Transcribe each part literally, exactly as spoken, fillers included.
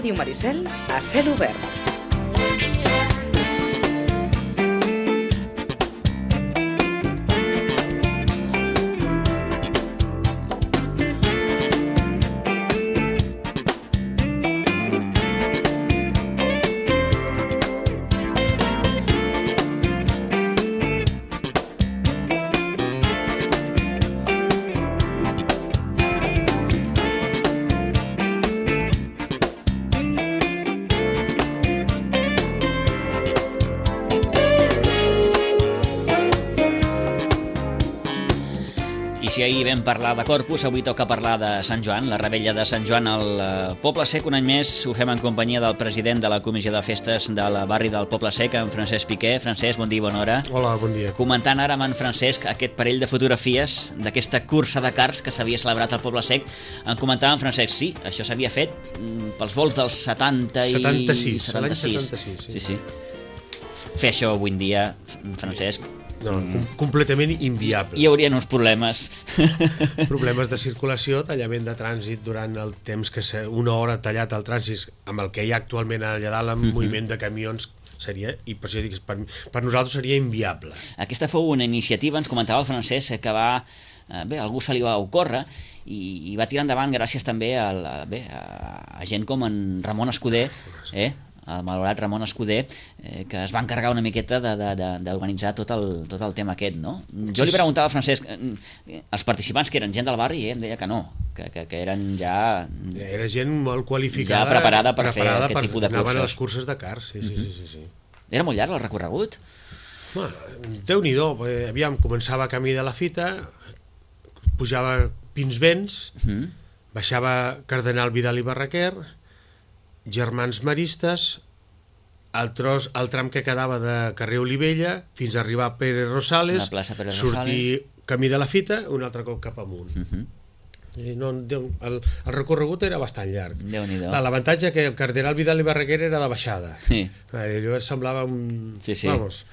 Ràdio Maricel a cel obert. Si ahir vam parlar de Corpus, avui toca parlar de Sant Joan, la revetlla de Sant Joan al Poble Sec. Un any més ho fem en companyia del president de la Comissió de Festes del barri del Poble Sec, en Francesc Piqué. Francesc, bon dia i bona hora. Hola, bon dia. Comentant ara amb en Francesc aquest parell de fotografies d'aquesta cursa de cars que s'havia celebrat al Poble Sec, en comentava en Francesc, sí, això s'havia fet pels vols dels setanta i... setanta-sis, l'any setanta-sis. Sí, sí. Fer això avui en dia, Francesc... No, com completament inviable. Hi haurien uns problemes. Problemes de circulació, tallament de trànsit durant el temps que una hora tallat el trànsit amb el que hi ha actualment allà dalt, amb uh-huh. moviment de camions, seria, i per això dic, per, per nosaltres seria inviable. Aquesta fou una iniciativa, ens comentava el Francesc, que va... Bé, algú se li va ocórrer i, i va tirar endavant gràcies també a, a, bé, a, a gent com en Ramon Escudé, eh? el malaurat Ramon Escudé, eh, que es va encarregar una miqueta d'organitzar tot, el, tot el tema aquest, no? Jo li preguntava al Francesc, els participants que eren gent del barri, eh, em deia que no, que, que, que eren ja... Era gent molt qualificada, ja preparada per preparada fer aquest per, tipus de curses. Anaven a les curses de cars, sí, sí, sí, sí, sí. Era molt llarg el recorregut? Bueno, Déu-n'hi-do, aviam, començava camí de la Fita, pujava Pinsbens, uh-huh. baixava Cardenal Vidal i Barraquer, Germans Maristes, el, tros, el tram que quedava de carrer Olivella fins a arribar a Pere Rosales, Pere sortir Rosales. Camí de la Fita, un altre cop cap amunt. Uh-huh. I no, el, el recorregut era bastant llarg. L'avantatge que el Cardenal Vidal i Barraquer era de baixada. Sí. Allò semblava un... Sí, sí. Vamos,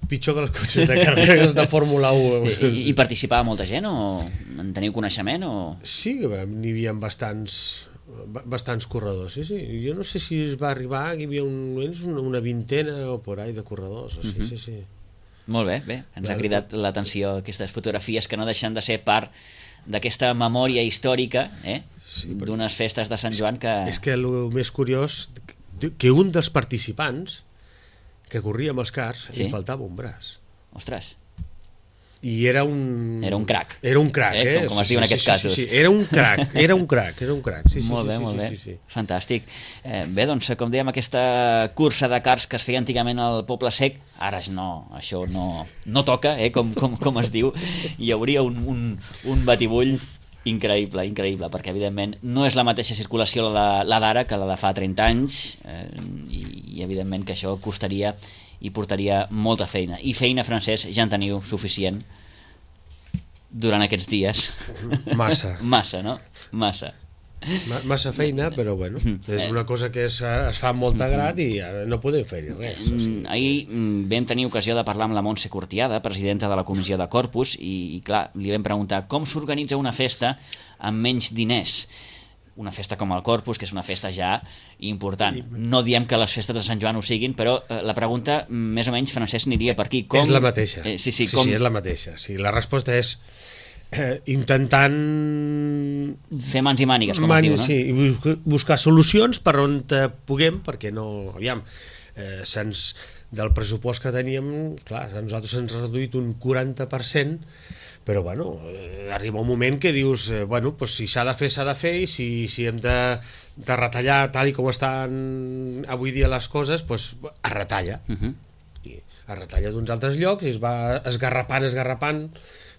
pitjor que els cotxes de carreres de Fórmula u. I, I participava molta gent o en teniu coneixement? O... Sí, n'hi havia bastants... bastants corredors, sí, sí. Jo no sé si es va arribar, hi havia un, una, una vintena o por ahí de corredors, sí, uh-huh. sí, sí. Molt bé, bé, ens Clar, ha cridat l'atenció aquestes fotografies que no deixen de ser part d'aquesta memòria històrica, eh? Sí, d'unes festes de Sant Joan que... És que el més curiós, que un dels participants que corria amb els cars, sí? Li faltava un braç. Ostres. I era un... Era un crac. Era un crac, eh? eh? Com, com es diu en aquests sí, casos. Sí, sí, era un crac, era un crac, era un crac. Sí, sí, molt bé, sí, molt sí, bé. Sí, sí. Fantàstic. Eh, bé, doncs, com dèiem, aquesta cursa de cars que es feia antigament al Poble Sec, ara no, això no, no toca, eh? com, com, com es diu. Hi hauria un, un, un batibull increïble, increïble, perquè evidentment no és la mateixa circulació la, la d'ara que la de fa trenta anys, eh, i, i evidentment que això costaria i portaria molta feina. I feina, Francesc, ja en teniu suficient durant aquests dies. Massa. Massa, no? Massa. Massa feina, però bueno, és una cosa que es, es fa amb molta grat i no podem fer-hi res. O sigui. Ahir vam tenir ocasió de parlar amb la Montse Cortiada, presidenta de la Comissió de Corpus, i, i clar, li vam preguntar com s'organitza una festa amb menys diners. Una festa com el Corpus, que és una festa ja important. No diem que les festes de Sant Joan ho siguin, però eh, la pregunta, més o menys, Francesc, aniria per aquí. Com... És la mateixa. Eh, sí, sí, sí, com... sí, és la mateixa. Sí, la resposta és eh, intentant... fer mans i mànigues, com Man... es diu, no? Sí, i buscar solucions per on puguem, perquè no... Aviam, eh, se'ns... del pressupost que teníem, clar, a nosaltres se'ns ha reduït un quaranta per cent, però bueno, eh, arriba un moment que dius, eh, bueno, pues si s'ha de fer, s'ha de fer, i si, si hem de, de retallar tal i com estan avui dia les coses, pues es retalla. Uh-huh. I es retalla d'uns altres llocs i es va esgarrapant, esgarrapant,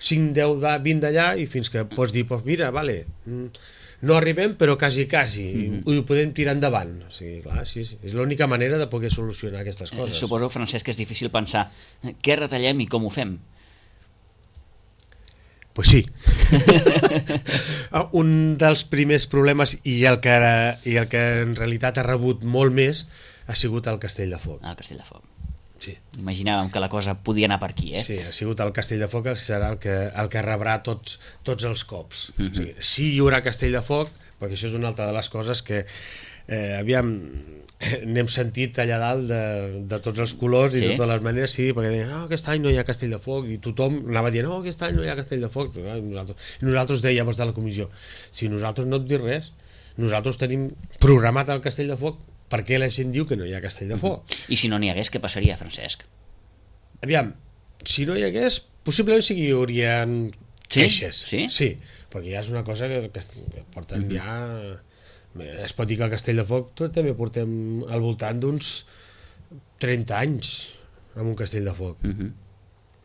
cinc, deu, vint d'allà, i fins que pots dir, pues mira, vale, no arribem, però quasi, quasi, uh-huh. i ho podem tirar endavant. O sigui, clar, sí, sí. És l'única manera de poder solucionar aquestes coses. Eh, suposo, Francesc, que és difícil pensar què retallem i com ho fem. Pues sí. Un dels primers problemes, i el, que, i el que en realitat ha rebut molt més, ha sigut el Castell de Foc. El Castell de Foc. Sí. Imaginàvem que la cosa podia anar per aquí, eh? Sí, ha sigut el Castell de Foc que serà el que, el que rebrà tots, tots els cops. Uh-huh. O sigui, sí, hi haurà Castell de Foc, perquè això és una altra de les coses que eh, aviam, n'hem sentit allà dalt de, de tots els colors i sí? de totes les maneres, sí, perquè deien, no, aquest any no hi ha Castell de Foc, i tothom anava dient, no, aquest any no hi ha Castell de Foc, i nosaltres, i nosaltres dèiem els de la comissió, si nosaltres no et dic res, nosaltres tenim programat el Castell de Foc, per què la gent diu que no hi ha Castell de Foc? I si no n'hi hagués, què passaria, Francesc? Aviam, si no hi hagués, possiblement sí que hi hauria sí? queixes, sí? sí, perquè ja és una cosa que, que porten mm-hmm. ja... Es pot dir que el Castell de Foc tot també portem al voltant d'uns trenta anys amb un Castell de Foc. Uh-huh.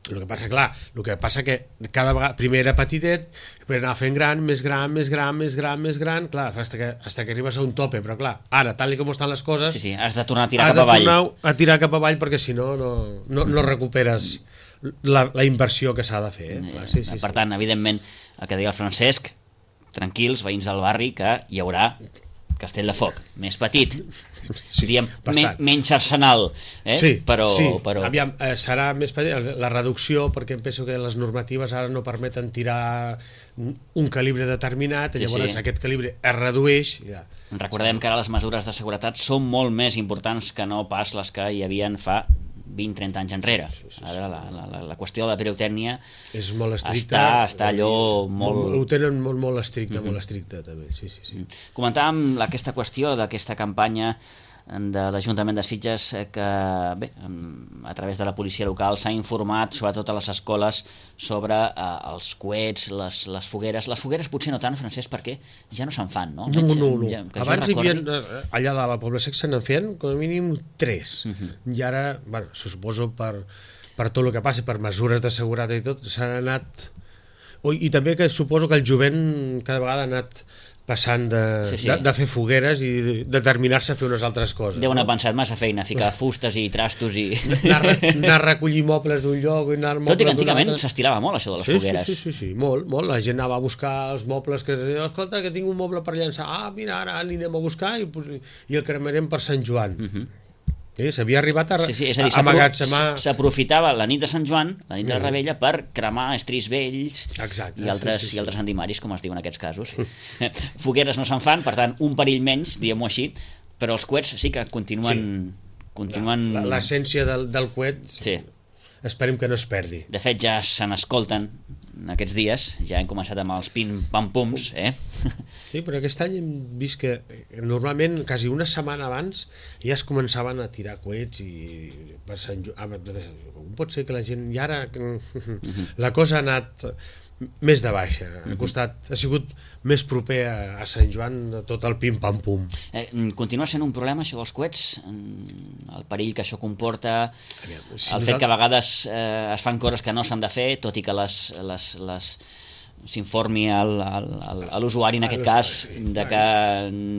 El que passa, clar, el que passa que cada vegada, primer era petitet, però anar fent gran, més gran, més gran, més gran, més gran, clar, fins que, fins que arribes a un tope, però clar, ara, tal com estan les coses... Sí, sí, has de tornar a tirar cap avall. Has de tornar a tirar cap avall perquè si no, no, no, no recuperes la, la inversió que s'ha de fer. Eh? Clar, sí, sí, per sí. tant, evidentment, el que deia el Francesc, tranquils, veïns del barri, que hi haurà Castell de Foc, més petit, sí, diem, me, menys arsenal, eh? sí, però, sí. però... Aviam, eh, serà més petit, la reducció, perquè em penso que les normatives ara no permeten tirar un calibre determinat, sí, llavors sí. aquest calibre es redueix. Ja. Recordem que ara les mesures de seguretat són molt més importants que no pas les que hi havien fa vint trenta anys enrere. Sí, sí, sí. Ara la, la, la qüestió de la pirotècnia és molt estricta, està, està allò molt... Ho tenen molt, molt estricte, uh-huh. molt estricte també, sí, sí, sí. Comentàvem aquesta qüestió d'aquesta campanya de l'Ajuntament de Sitges que bé, a través de la policia local s'ha informat sobretot a les escoles sobre eh, els coets, les, les fogueres. Les fogueres potser no tant, Francesc, perquè ja no se'n fan, no? No, no, no. Ja, abans hi havia, allà de la Pobla Sec se n'en feien com a mínim tres. Uh-huh. I ara, bueno, se suposo per, per tot el que passi, per mesures de seguretat i tot, s'han anat... I també que suposo que el jovent cada vegada ha anat passant de, sí, sí. de, de fer fogueres i de determinar-se a fer unes altres coses. Deuen haver pensat massa feina, ficar fustes i trastos i... Anar, anar a recollir mobles d'un lloc i anar... Tot i que antigament s'estilava molt això de les sí, fogueres. Sí, sí, sí, sí, molt, molt. La gent anava a buscar els mobles que... Escolta, que tinc un moble per llançar. Ah, mira, ara l'anem a buscar i, i el cremarem per Sant Joan. Uh-huh. Sí, s'havia arribat a, sí, sí, és a dir, amagatzemar... S'aprofitava la nit de Sant Joan, la nit de la Rebella, per cremar estris vells. Exacte, i altres, sí, sí, sí. i altres antimaris, com es diu en aquests casos. Fogueres no se'n fan, per tant, un perill menys, diguem-ho així, però els coets sí que continuen... Sí. continuen... L'essència del, del coet, sí. Esperem que no es perdi. De fet, ja se n'escolten aquests dies, ja hem començat amb els pim-pam-pums, eh? Sí, però aquest any hem vist que normalment, quasi una setmana abans, ja es començaven a tirar coets i per Sant Joan... Com pot ser que la gent... I ara la cosa ha anat més de baixa, ha costat, ha sigut més proper a, a Sant Joan de tot el pim-pam-pum. Eh, continua sent un problema això dels coets? El perill que això comporta, Aviam, si el fet que a vegades eh, es fan coses que no s'han de fer, tot i que les, les, les s'informi al, al, al, a l'usuari en aquest cas de que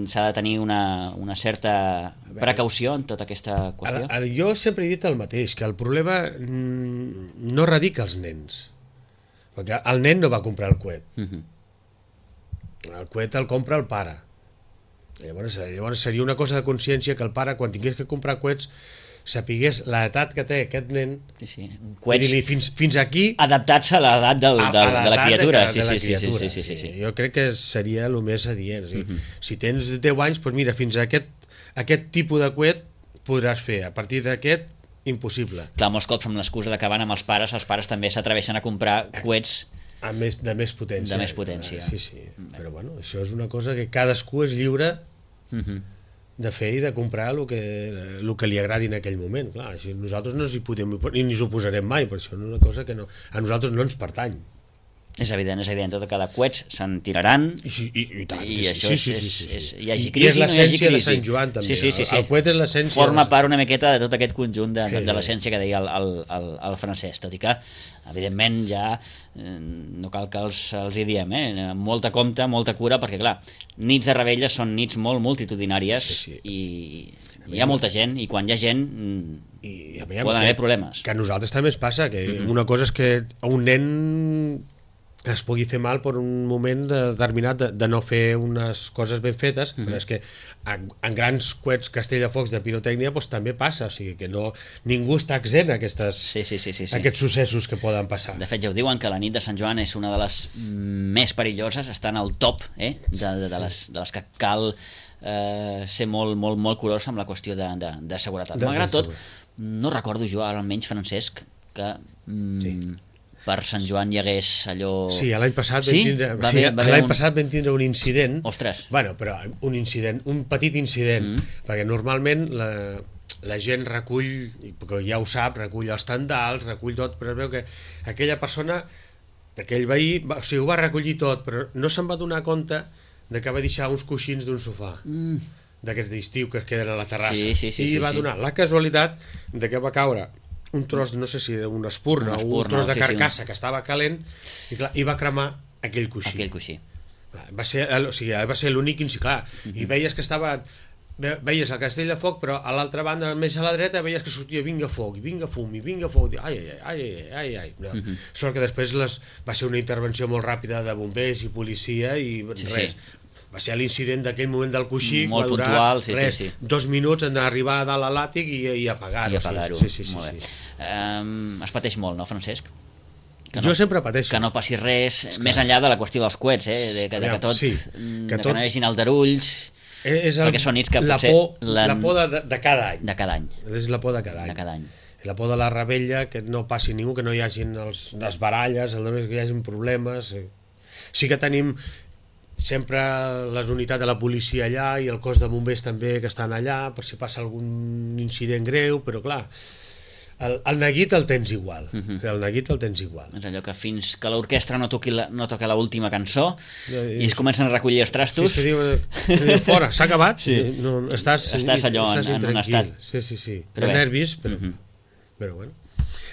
s'ha de tenir una, una certa precaució en tota aquesta qüestió? El, el, jo sempre he dit el mateix, que el problema no radica als nens, perquè el nen no va comprar el coet. Uh-huh. El coet el compra el pare. Llavors, llavors seria una cosa de consciència que el pare, quan tingués que comprar coets, sapigués l'edat que té aquest nen, sí, sí. Coets i fins, fins aquí... adaptats a l'edat del, a, del, a de la criatura. De, sí, de la sí, criatura. Sí, sí, sí, sí, sí. Jo crec que seria el més adient. Sí. Uh-huh. Si tens deu anys, doncs mira, fins a aquest, aquest tipus de coet podràs fer. A partir d'aquest, impossible. Clar, molts cops amb l'excusa de que van amb els pares, els pares també s'atreveixen a comprar coets a més, de més potència. De més potència. Sí, sí. Però bueno, això és una cosa que cadascú és lliure uh-huh. de fer i de comprar el que, el que li agradi en aquell moment. Clar, així nosaltres no ens hi podem, ni ens ho posarem mai, per això és una cosa que no, a nosaltres no ens pertany. És evident, és evident, tot que de coets se'n tiraran i, i, i, tant, i això sí, sí, és, sí, sí, sí. és, hi hagi crisi, I és l'essència no de Sant Joan també, sí, sí, sí, sí. el coet és l'essència forma de... part una miqueta de tot aquest conjunt de, sí. de l'essència que deia el, el, el, el Francesc, tot i que evidentment ja eh, no cal que els, els hi diem, eh? molta compte, molta cura, perquè clar, nits de Rebella són nits molt multitudinàries sí, sí. i hi ha molta gent i quan hi ha gent i, poden haver que, problemes. Que a nosaltres també ens passa, que uh-huh. una cosa és que un nen es pugui fer mal per un moment determinat de, de no fer unes coses ben fetes, mm-hmm. però és que en, en grans coets castellafocs de pirotècnia doncs, també passa, o sigui que no, ningú està exempt a aquestes, sí, sí, sí, sí, sí. aquests successos que poden passar. De fet, ja ho diuen que la nit de Sant Joan és una de les més perilloses, està en el top eh, de, de, de, les, de les que cal eh, ser molt, molt, molt curós amb la qüestió de, de, de seguretat. De, Malgrat de tot, no recordo jo, ara almenys, Francesc, que mm, sí. per Sant Joan hi hagués allò... Sí, l'any passat, sí? vam tindre, va sí, haver, va l'any un... passat vam tindre un incident. Ostres. Bueno, però un incident, un petit incident, mm. perquè normalment la, la gent recull, perquè ja ho sap, recull els tendals, recull tot, però es veu que aquella persona, aquell veí, va, o sigui, ho va recollir tot, però no se'n va donar compte de que va deixar uns coixins d'un sofà. Mm. d'aquests d'estiu que es queden a la terrassa, sí, sí, sí, i sí, va sí. donar la casualitat de que va caure un tros, no sé si una espurna, una espurna o un tros de sí, carcassa sí. que estava calent, i, clar, i va cremar aquell coixí. Aquell coixí. Va ser, o sigui, va ser l'únic, clar, uh -huh. i veies que estava, veies el castell de foc, però a l'altra banda, més a la dreta, veies que sortia vinga foc, i vinga fum, i vinga foc, i ai, ai, ai, ai, ai, ai. Uh -huh. Sort que després les, va ser una intervenció molt ràpida de bombers i policia, i sí, res, sí. Va ser l'incident d'aquell moment del coixí, molt va durar puntual, sí, res, sí, sí. dos minuts en arribar a dalt a l'àtic i, i apagar-ho. I apagar-ho, sí, sí, sí, molt sí, bé. sí. Um, es pateix molt, no, Francesc? Que jo no, sempre pateixo. Que no passi res, és més enllà de la qüestió dels coets, eh? de, que, de que tot, sí, que, de tot... que no hi hagi aldarulls, és el, perquè són nits que la potser... Por, la por de, de cada any. De cada any. És la por de cada any. De cada any. La por de la rebella, que no passi ningú, que no hi hagi els, les baralles, que hi hagi problemes. Sí que tenim sempre les unitats de la policia allà i el cos de bombers també que estan allà per si passa algun incident greu, però clar, el, el neguit el tens igual. Uh -huh. El neguit el tens igual. És allò que fins que l'orquestra no toqui la, no toca l'última cançó i, i es comencen a recollir els trastos... Sí, diu, diu, fora, s'ha acabat? Sí. No, estàs, estàs allò estàs en, en un estat... Sí, sí, sí. Però de bé. nervis, però, uh -huh. però bueno,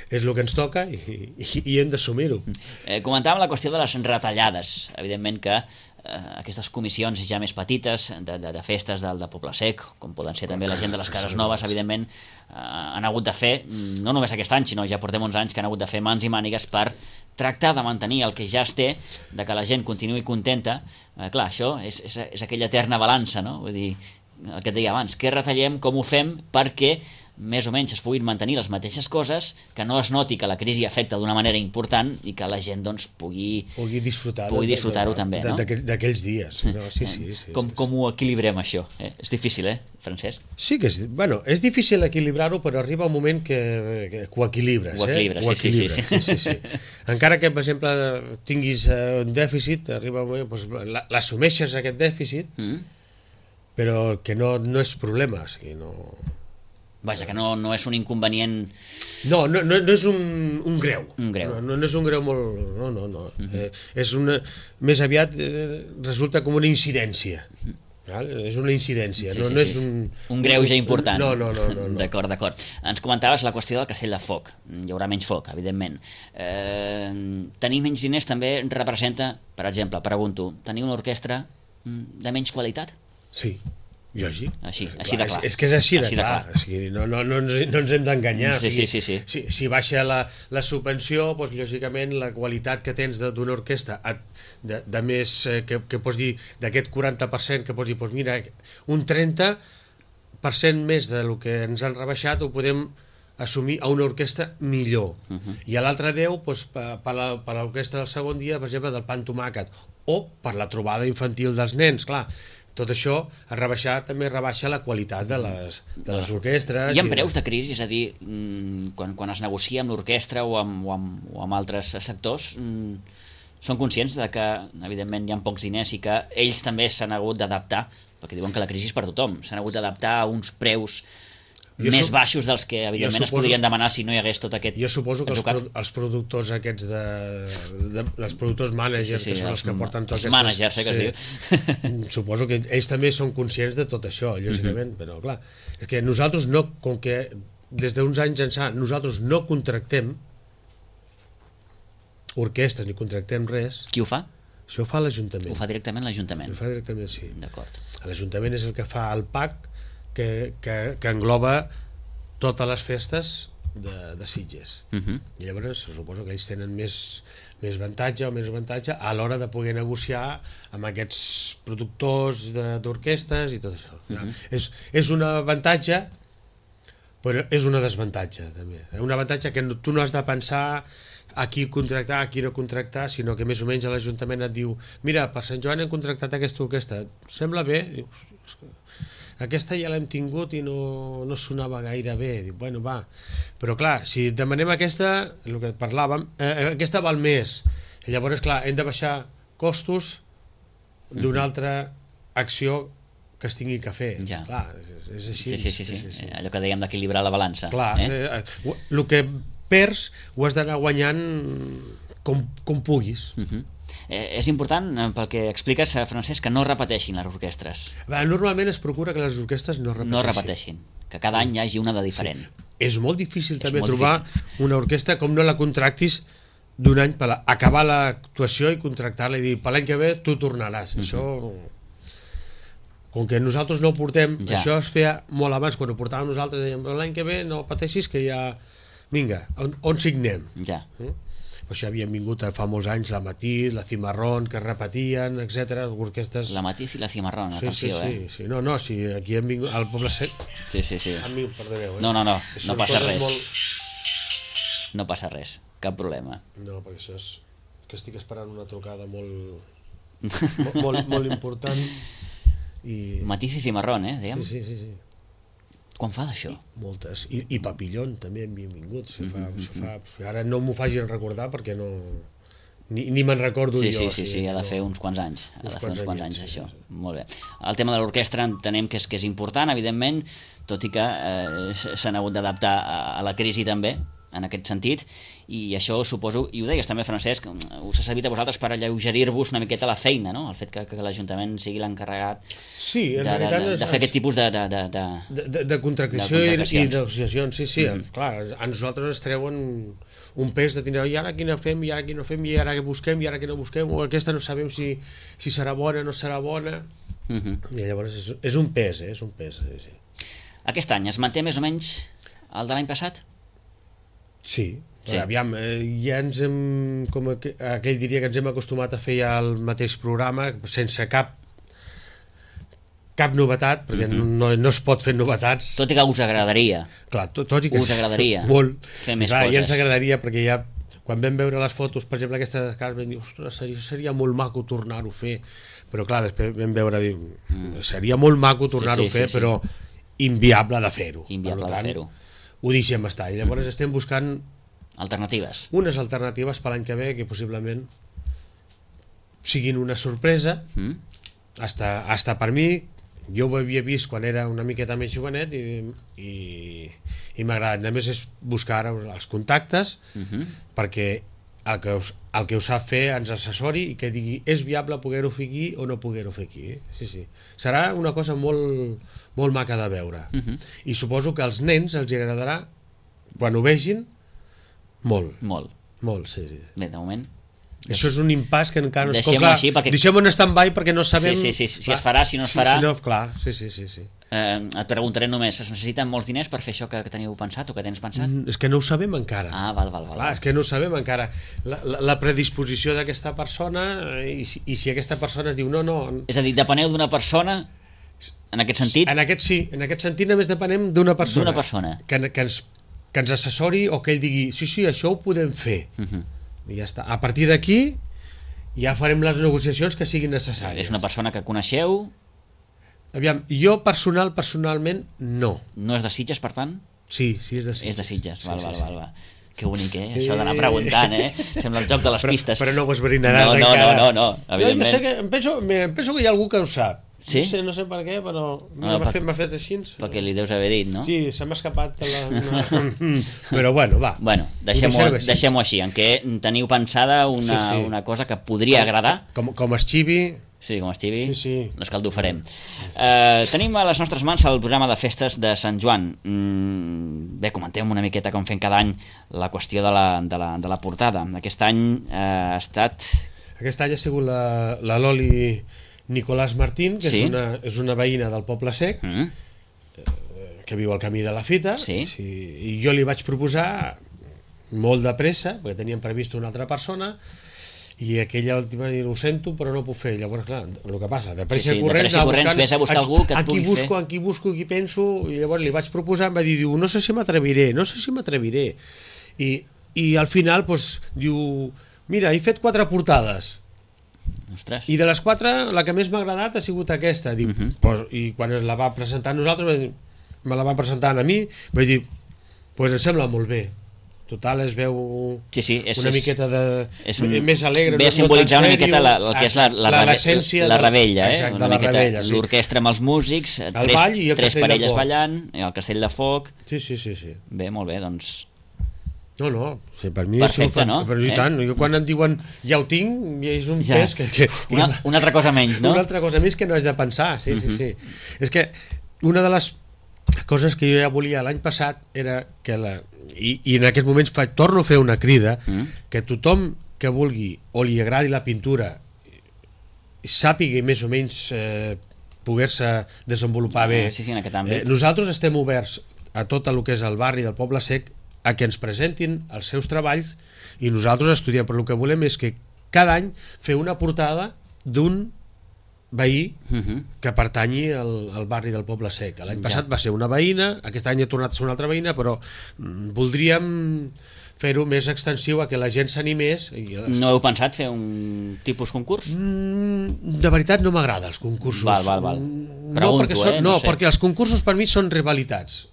és el que ens toca i, i, i hem d'assumir-ho. Eh, comentàvem la qüestió de les retallades. Evidentment que eh, aquestes comissions ja més petites de, de, de festes del de Poble Sec, com poden ser també la gent de les Cases Noves, evidentment eh, han hagut de fer, no només aquest any, sinó ja portem uns anys que han hagut de fer mans i mànigues per tractar de mantenir el que ja es té, de que la gent continuï contenta. Eh, clar, això és, és, és aquella eterna balança, no? Vull dir, el que et deia abans, què retallem, com ho fem perquè més o menys es puguin mantenir les mateixes coses, que no es noti que la crisi afecta d'una manera important i que la gent doncs, pugui, pugui disfrutar-ho pugui disfrutar també. No? D'aquells dies. No, sí, sí, sí, com, sí, com ho equilibrem, això? Eh? És difícil, eh, Francesc? Sí que és, bueno, és difícil equilibrar-ho, però arriba un moment que, que, que ho equilibres. Ho equilibres, eh? ho sí, equilibres sí, sí, sí, sí, sí. Encara que, per exemple, tinguis uh, un dèficit, arriba un moment, doncs, l'assumeixes aquest dèficit, mm. però que no, no és problema, o sigui, no... Vaja, que no, no és un inconvenient... No, no, no, no és un, un greu. Un greu. No, no, no és un greu molt... No, no, no. Uh -huh. eh, és una... Més aviat eh, resulta com una incidència. Uh -huh. Val? És una incidència, sí, no, sí, no sí, és un... Un greuge important. No, no, no. no, no. D'acord, d'acord. Ens comentaves la qüestió del Castell de Foc. Hi haurà menys foc, evidentment. Eh, tenir menys diners també representa, per exemple, pregunto, tenir una orquestra de menys qualitat? Sí. Lògic. Així, així de clar. És, és que és així, així de clar. De clar. O sigui, no, no, no, ens, no ens hem d'enganyar. Sí, o sigui, sí, sí, sí. Si, si baixa la, la subvenció, doncs, lògicament la qualitat que tens d'una orquestra de, de més, eh, que, que pots dir, d'aquest quaranta per cent, que pots dir, doncs mira, un trenta per cent més del que ens han rebaixat ho podem assumir a una orquestra millor. Uh -huh. I a l'altre deu, doncs, per, per l'orquestra del segon dia, per exemple, del pa amb tomàquet, o per la trobada infantil dels nens, clar. Tot això, a rebaixar, també rebaixa la qualitat de les, de les orquestres. Hi ha preus de crisi, és a dir, quan, quan es negocia amb l'orquestra o, amb, o, amb, o amb altres sectors, són conscients de que, evidentment, hi ha pocs diners i que ells també s'han hagut d'adaptar, perquè diuen que la crisi és per tothom, s'han hagut d'adaptar a uns preus jo més sup... baixos dels que, evidentment, suposo... es podrien demanar si no hi hagués tot aquest... Jo suposo que els, pro els productors aquests de... de els productors managers, sí, sí, sí, que són els, els que porten tots aquests... Els managers, eh, que sí. es diu. Suposo que ells també són conscients de tot això, lògicament, uh -huh. però clar, és que nosaltres no, com que des d'uns anys ençà nosaltres no contractem orquestres ni contractem res... Qui ho fa? Això ho fa l'Ajuntament. Ho fa directament l'Ajuntament? Ho fa directament, sí. D'acord. L'Ajuntament és el que fa el P A C, que, que, que engloba totes les festes de, de Sitges. Uh -huh. I llavors suposo que ells tenen més, més avantatge o més avantatge a l'hora de poder negociar amb aquests productors d'orquestes i tot això. Uh -huh. és, és un avantatge, però és una desavantatge també. Un avantatge que tu no has de pensar a qui contractar, a qui no contractar, sinó que més o menys l'Ajuntament et diu mira, per Sant Joan hem contractat aquesta orquestra, sembla bé? Dius, aquesta ja l'hem tingut i no, no sonava gaire bé. Diu, bueno, va. Però clar, si demanem aquesta, el que parlàvem, eh, aquesta val més. I llavors, clar, hem de baixar costos d'una altra acció que es tingui que fer. Ja. Clar, és, és així. Sí, sí, sí, sí. sí, sí. Allò que dèiem d'equilibrar la balança. Clar, eh? eh, el que perds ho has d'anar guanyant com, com puguis. Uh -huh. eh, és important, eh, pel que expliques, eh, Francesc, que no repeteixin les orquestres. Va, normalment es procura que les orquestres no repeteixin. No repeteixin, que cada any hi hagi una de diferent. Sí. És molt difícil És també molt trobar difícil. una orquestra com no la contractis d'un any per la, acabar l'actuació i contractar-la i dir per l'any que ve tu tornaràs. Uh -huh. Això, com que nosaltres no ho portem, Ja. això es feia molt abans, quan ho portàvem nosaltres dèiem l'any que ve no pateixis que ja vinga, on, on signem? Ja. Eh? Per això havien vingut fa molts anys la Matís, la Cimarrón, que repetien, etcètera, orquestes... La Matís i la Cimarrón, sí, atenció, sí, sí, eh? sí, no, no, sí, aquí hem vingut, al Poble Sec... Sí, sí, sí. Han vingut, perdoneu, eh? No, no, no, Que no són passa coses res. Molt... No passa res, cap problema. No, perquè això és... que estic esperant una trucada molt... molt, molt, molt important i... Matís i Cimarrón, eh, dèiem? Sí, sí, sí, sí. Quan fa d'això? Moltes. I, i Papillon també havien vingut. Si fa, Mm-hmm. si fa... Ara no m'ho facin recordar perquè no... Ni, ni me'n recordo Sí, jo. sí, sí, o sigui, sí, ha de no... fer uns quants anys. Ha Uns de fer uns quants quants anyets, anys, sí, això. sí. Molt bé. El tema de l'orquestra entenem que és, que és important, evidentment, tot i que eh, s'han hagut d'adaptar a, a la crisi també, en aquest sentit, i això suposo, i ho deies també, Francesc, us ha servit a vosaltres per alleugerir-vos una miqueta la feina, no? El fet que, que l'Ajuntament sigui l'encarregat Sí, en de, de, realitat... de, de fer aquest tipus de... de, de, de... De, de, de contractació de i, contractacions. i negociacions, sí, sí, Mm. clar, a nosaltres ens treuen un pes de tindre, i ara quina fem, i ara quina no fem, i ara què busquem, i ara què no busquem, o aquesta no sabem si, si serà bona, no serà bona, Uh -huh. i llavors és, és un pes, eh? És un pes, sí, sí. Aquest any es manté més o menys el de l'any passat? Sí, Sí. sí. Aviam, eh, ja ens hem, com aqu aquell diria que ens hem acostumat a fer ja el mateix programa, sense cap cap novetat, perquè uh -huh. no, no es pot fer novetats. Tot i que us agradaria. Clar, tot, tot i que Us agradaria molt, fer més clar, coses. ja ens agradaria, perquè ja quan vam veure les fotos, per exemple aquesta de Carles, vam dir, ostres, seria, seria molt maco tornar-ho a fer, però clar, després vam veure, dir, mm. seria molt maco tornar-ho Sí, a sí, fer, sí, sí. però inviable de fer-ho. Inviable Per de tant, fer-ho. Ho deixem estar, i llavors estem buscant Alternatives. unes alternatives per l'any que ve que possiblement siguin una sorpresa, Mm? hasta, hasta per mi. Jo ho havia vist quan era una miqueta més jovenet i, i, i m'ha agradat. A més és buscar ara els contactes Uh -huh. perquè el que, us, el que ho sap fer ens assessori i que digui és viable poder-ho fer aquí o no poder-ho fer aquí. Sí, sí. Serà una cosa molt, molt maca de veure. Uh -huh. I suposo que als nens els agradarà quan ho vegin molt, Molt. molt, sí, sí. Bé, de moment... Això és un impàs que encara no es... Deixem-ho clar, així, perquè- deixem-ho en stand-by perquè no sabem... Sí, sí, sí, si clar, es farà, si no es sí, farà. Si no, clar, sí, sí, sí, sí. Eh, et preguntaré només, es necessiten molts diners per fer això que, que teniu pensat o que tens pensat? Mm, és que no ho sabem encara. Ah, val, val, val. Clar, és que no ho sabem encara. La, la, la predisposició d'aquesta persona eh, i, si- i si aquesta persona es diu no, no... És a dir, depeneu d'una persona, en aquest sentit, En aquest sí, en aquest sentit només depenem d'una persona. D'una persona. Que, que, ens, que ens assessori o que ell digui sí, sí, això ho podem fer. uh -huh. I ja està. A partir d'aquí ja farem les negociacions que siguin necessàries. és una persona que coneixeu, Aviam, jo personal, personalment, no. no és de Sitges, per tant? Sí, sí, és de Sitges. És de Sitges, val, Sí, val, sí, val, val. Que bonic, eh? Això d'anar preguntant, eh? Sembla el joc de les Però, pistes. però no ho esbrinaràs no, no, encara. No, no, no, Jo, evidentment. jo sé que, em, penso, me- em penso que hi ha algú que ho sap. Sí? No sé, no sé per què, però No, m'ha per- fet, m'ha fet així. Perquè li deus haver dit, no? Sí, se m'ha escapat de la... No. Però bueno, va. Bueno, Ho deixem-ho deixarem així. deixem així, en què teniu pensada una, Sí, sí. una cosa que podria agradar. Com, com esxivi... Sí, com estivi, Sí, sí. l'escaldufarem. Eh, tenim a les nostres mans el programa de festes de Sant Joan. Mm, bé, comentem una miqueta com fem cada any la qüestió de la, de la, de la portada. Aquest any eh, ha estat... Aquest any ha sigut la, la Loli Nicolàs Martín, que Sí. és, una, és una veïna del Poble Sec, Mm, que viu al camí de la Fita, Sí. sí, i jo li vaig proposar molt de pressa, perquè teníem previst una altra persona, i aquella última dir, ho sento, però no ho puc fer. Llavors, clar, el que passa, de pressa Sí, sí, i de corrents, pressa i anava corrents, buscant vés a buscar algú que et a qui pugui busco, fer. a qui busco, a qui penso, i llavors li vaig proposar, em va dir, diu, no sé si m'atreviré, no sé si m'atreviré. I i al final doncs, diu, mira, he fet quatre portades. Ostres. I de les quatre, la que més m'ha agradat ha sigut aquesta. Dic, uh-huh. pues, I quan es la va presentar a nosaltres, me la van presentar a mi, vaig dir, pues em sembla molt bé. Total, es veu sí, sí, és, una és, miqueta de, és un, més alegre. Ve a simbolitzar no una miqueta la, el que és la, la, la, l'essència la rebella, eh? Exacte, una la miqueta rebella, sí. L'orquestra amb els músics, el tres, ball i el tres castell parelles de foc. ballant, i el castell de foc. Sí, sí, sí, sí. Bé, molt bé, doncs... No, no, sí, per mi perfecte, fa, no? Per mi eh? tant, jo quan em diuen ja ho tinc, és un ja. pes que... que una, una altra cosa menys, no? Una altra cosa més que no has de pensar, sí, sí, sí. Uh-huh. És que una de les coses que jo ja volia l'any passat era que la... I, i en aquests moments fa, torno a fer una crida uh-huh. que tothom que vulgui o li agradi la pintura sàpiga més o menys eh, poder-se desenvolupar bé. Sí, sí, en aquest àmbit. Eh, nosaltres estem oberts a tot el que és el barri del Poble Sec a que ens presentin els seus treballs i nosaltres estudiem, però el que volem és que cada any fer una portada d'un veí uh-huh. que pertanyi al, al barri del Poble Sec. L'any ja. passat va ser una veïna, aquest any ha tornat a ser una altra veïna, però mm, voldríem fer-ho més extensiu a que la gent s'animés. I... No heu pensat fer un tipus concurs? Mm, de veritat no m'agrada els concursos. Val, val, val. No, Pregunto, perquè són, eh? No, No sé. perquè els concursos per mi són rivalitats.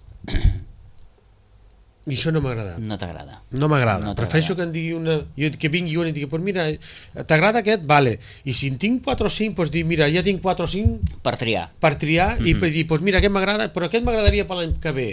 I això no m'agrada. No t'agrada. No m'agrada. No prefereixo que en digui una... Jo, que vingui una i digui, pues mira, t'agrada aquest? Vale. I si en tinc quatre o cinc, pues dir, mira, ja tinc quatre o cinc... Per triar. Per triar, mm-hmm. i per dir, pues mira, aquest m'agrada, però aquest m'agradaria per l'any que ve.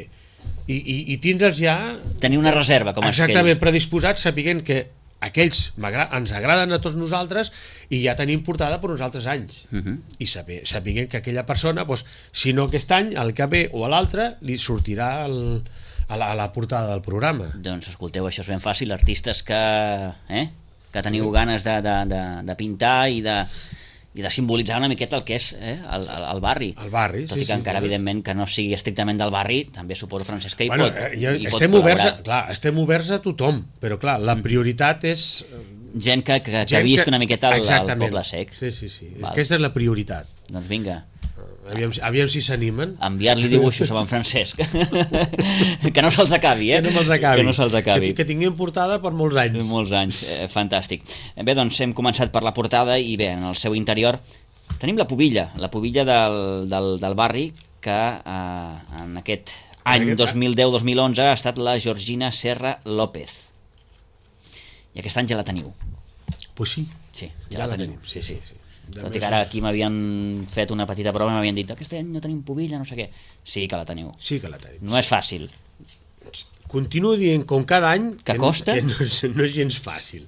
I, i, i tindre'ls ja... Tenir una reserva, com exactament, aquell. predisposats, sapiguent que aquells ens agraden a tots nosaltres i ja tenim portada per uns altres anys. Uh-huh. I saber, sapiguent que aquella persona, pues, si no aquest any, el que ve o a l'altre, li sortirà el, a, la, a la portada del programa. Doncs escolteu, això és ben fàcil. Artistes que, eh, que teniu ganes de, de, de, de pintar i de, i de simbolitzar una miqueta el que és eh, el, el, el barri. El barri, Tot sí, i que sí, encara, sí, evidentment, que no sigui estrictament del barri, també suposo, Francesc, que hi bueno, pot, eh, ja, hi pot estem oberts a, col·laborar. clar, estem oberts a tothom, però clar, la prioritat és... Gent que, que, que visc una miqueta al, al Poble Sec. Sí, sí, sí. Val. Aquesta és la prioritat. Doncs vinga. Aviam, aviam si s'animen. Enviar-li dibuixos a en Francesc. Que no se'ls acabi, eh? Que no se'ls acabi. Que no se'ls acabi. Que, que tinguem portada per molts anys. Molts anys, eh, fantàstic. Bé, doncs hem començat per la portada i bé, en el seu interior tenim la pubilla, la pubilla del, del, del barri que eh, en aquest any dos mil deu dos mil onze ha estat la Georgina Serra López. I aquest any ja la teniu. Pues sí. Sí, ja, ja la, la teniu. tenim. Sí, sí. sí, sí. Tot i que ara aquí m'havien fet una petita prova i m'havien dit aquest any no tenim pubilla, no sé què. Sí que la teniu. Sí que la tenim. No és fàcil. Continuo dient com cada any que, que costa? Que no, és, no és gens fàcil.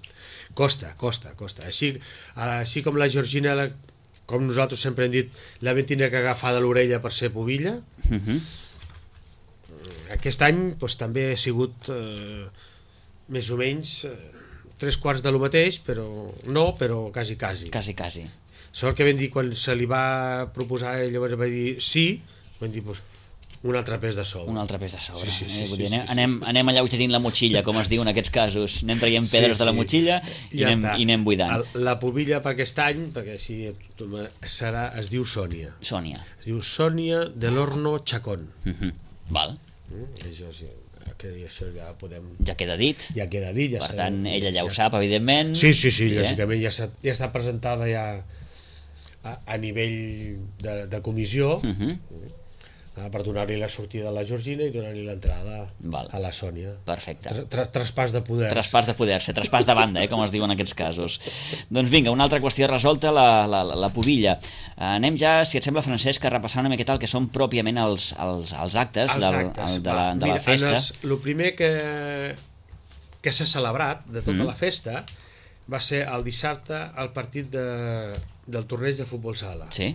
Costa, costa, costa. Així, així com la Georgina, la, com nosaltres sempre hem dit, la vam tindre que agafar de l'orella per ser pubilla. Uh-huh. Aquest any doncs, també ha sigut eh, més o menys eh, tres quarts de lo mateix, però no, però quasi, quasi. Quasi, quasi. Sort que vam dir, quan se li va proposar, llavors va dir sí, vam dir, doncs, un altre pes de sobre. Un altre pes de sobre. Sí, sí, sí, eh? Vull sí, dir, anem, sí, sí. anem, anem alleugerint la motxilla, com es diu en aquests casos. Anem traient pedres sí, sí. de la motxilla i, ja anem, i anem buidant. El, la pubilla per aquest any, perquè així serà, es diu Sònia. Sònia. Es diu Sònia del Horno Chacón. Uh-huh. Val. Mm, això, sí, que això ja podem... Ja queda dit. Ja queda dit. Ja per sabem, tant, ella ja ho ja sap, evidentment. Sí, sí, sí, sí lògicament, eh? ja, ja està presentada ja a, a nivell de, de comissió. Uh-huh. Per donar-li la sortida a la Georgina i donar-li l'entrada a la Sònia. Perfecte. Tra tra traspàs de poder. Traspàs de poder, ser traspàs de banda, eh, com es diu en aquests casos. Doncs vinga, una altra qüestió resolta, la, la, la pubilla. Anem ja, si et sembla, Francesc, a repassar una miqueta el que són pròpiament els, els, els actes, els del, actes el, de, la, de Mira, la festa. El primer que, que s'ha celebrat de tota mm. la festa va ser el dissabte al partit de, del torneig de futbol sala. Sí.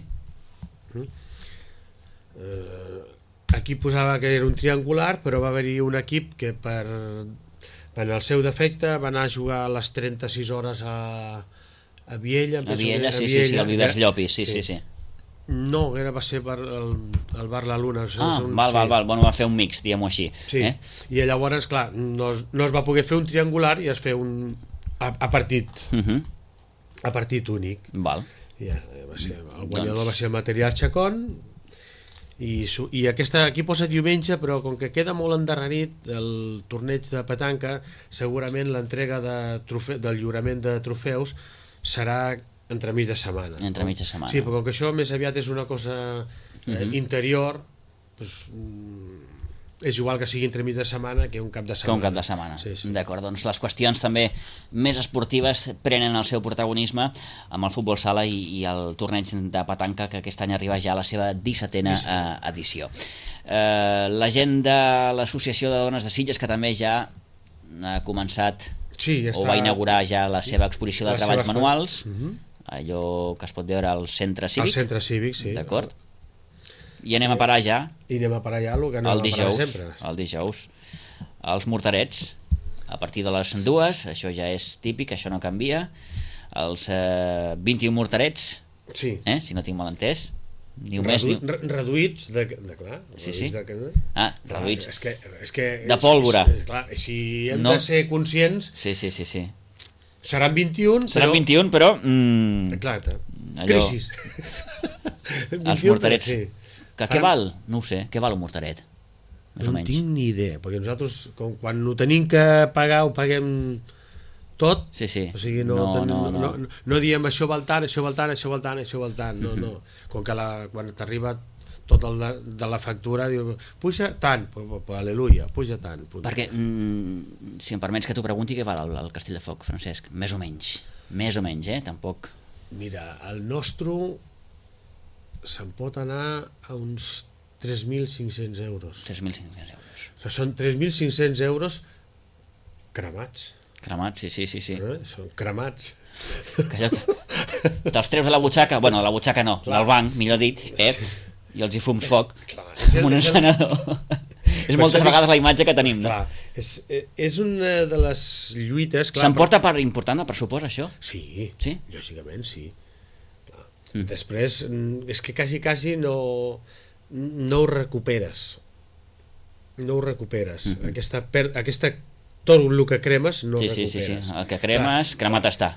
Mm. Uh, aquí posava que era un triangular, però va haver-hi un equip que per, per el seu defecte va anar a jugar a les trenta-sis hores a, a Viella. A Viella, sí, sí, sí, al Vivers Llopis, sí, sí, sí. No, era, va ser per el, el Bar La Luna. Ah, un, val, sí. val, val, bueno, va fer un mix, diguem-ho així. Sí, eh? I llavors, clar, no, no es va poder fer un triangular i es fer un a, a partit, uh-huh. a partit únic. Val. Ja, va ser, el guanyador doncs... va ser el Material Chacón. i, i aquesta, aquí posa diumenge, però com que queda molt endarrerit el torneig de petanca, segurament l'entrega de trofe, del lliurament de trofeus serà entremig de setmana. Entremig de setmana. Sí, però com que això més aviat és una cosa eh, uh-huh. interior, doncs, és igual que sigui entremig de setmana que un cap de setmana. Que un cap de setmana. Sí, sí. D'acord, doncs les qüestions també més esportives prenen el seu protagonisme amb el futbol sala i, i el torneig de petanca, que aquest any arriba ja a la seva dissetena sí, sí. Eh, edició. Eh, la gent de l'Associació de Dones de Sitges, que també ja ha començat sí, ja o va inaugurar ja la seva exposició de la treballs seva... manuals, uh-huh. allò que es pot veure al centre cívic. Al centre cívic, sí. D'acord. I anem a parar ja i anem a parar ja el que anem el a dijous, parar sempre. El dijous, els morterets, a partir de les dues, això ja és típic, això no canvia, els eh, vint-i-un morterets, sí. eh, si no tinc mal entès, ni un Redu mes, ni... reduïts de, de clar, sí, sí. de, ah, reduïts és que, és que, de pòlvora, és, clar, si hem no. de ser conscients, sí, sí, sí, sí. seran vint-i-un, seran però... vint-i-un, però mm, exacte, allò... crisis. Els morterets, sí. Que què val? No ho sé, què val un morteret? Més no o menys. tinc ni idea, perquè nosaltres com, quan ho tenim que pagar ho paguem tot, sí, sí. O sigui, no, no, ten, no, no. no. No, no diem això val tant, això val tant, això val tant, això val tant, no, no. Com que la, quan t'arriba tot el de, de la factura, diu, puja tant, pues, pues, aleluia, puja tant. Puja. Perquè, mm, si em permets que t'ho pregunti, què val el, el Castell de Foc, Francesc? Més o menys, més o menys, eh? Tampoc... Mira, el nostre se'n pot anar a uns tres mil cinc-cents euros. tres mil cinc-cents euros. O sigui, són tres mil cinc-cents euros cremats. Cremats, sí, sí, sí. sí. Eh? Són cremats. Que allò te'ls treus de la butxaca, bueno, de la butxaca no, clar. Del banc, millor dit, eh? Sí. I els hi fums foc clar, amb un encenedor. És moltes vegades la imatge que tenim, no? Clar, és, és una de les lluites... S'emporta part important el pressupost, això? Sí, sí? lògicament sí. Mm. Després, és que quasi, quasi no, no ho recuperes. No ho recuperes. Mm-hmm. Aquesta, per, aquesta, tot el que cremes no sí, ho recuperes. Sí, sí, sí. El que cremes, clar, cremat està.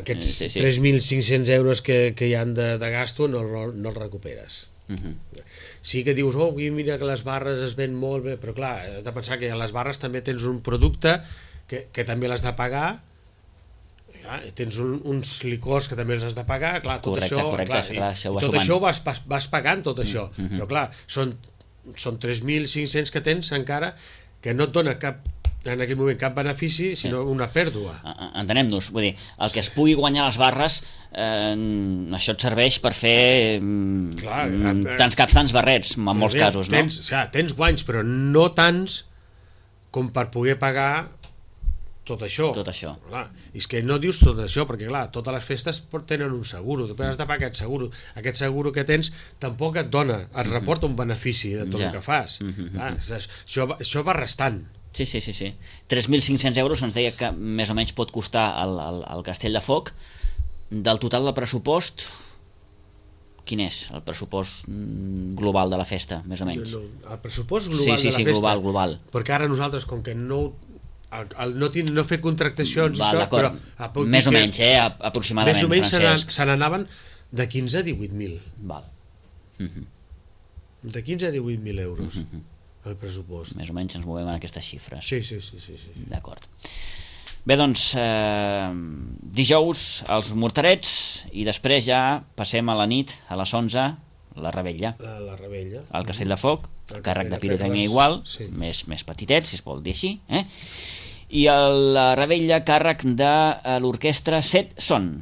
Aquests sí, sí. tres mil cinc-cents euros que, que hi han de, de gasto no, no, no els recuperes. Uh-huh. Sí que dius, oh, mira que les barres es ven molt bé, però clar, has de pensar que a les barres també tens un producte que, que també l'has de pagar, clar, tens un, uns licors que també els has de pagar, clar, tot correcte, això, correcte, clar, clar, això tot això vas, vas, vas pagant tot això, uh-huh. però clar, són, són tres mil cinc-cents que tens encara que no et dona cap en aquell moment cap benefici, sinó sí. una pèrdua. Entenem-nos, vull dir, el que es pugui guanyar les barres, eh, això et serveix per fer clar, mm, tants caps, tants barrets, en molts tens, casos, no? Tens, o sigui, tens guanys, però no tants com per poder pagar tot això. Tot això. Clar, és que no dius tot això, perquè clar, totes les festes tenen un seguro, després has de pagar aquest seguro. Aquest seguro que tens tampoc et dona, et reporta un benefici de tot ja. el que fas. Mm-hmm. Clar, això, això va restant. Sí, sí, sí, sí. tres mil cinc-cents euros ens deia que més o menys pot costar el, el, el Castell de Foc. Del total del pressupost, quin és el pressupost global de la festa, més o menys? No, no, el pressupost global sí, sí, de la sí, festa, global, global. Perquè ara nosaltres, com que no, el, el, no, tin, no fer contractacions, Va, això, però, més o menys, eh, aproximadament, més o menys Francesc. se n'anaven de quinze a divuit mil. Val. Mm-hmm. De quinze a divuit mil euros. Mm-hmm. El pressupost. Més o menys ens movem en aquestes xifres. Sí, sí, sí, sí, sí. D'acord. Bé, doncs, eh, dijous els morterets i després ja passem a la nit, a les onze, la Rebella. La, la Rebella. El Castell de Foc, el càrrec de pirotècnia igual, sí. més, més petitet, si es vol dir així, eh? I el, la Rebella, càrrec de l'orquestra Set Son.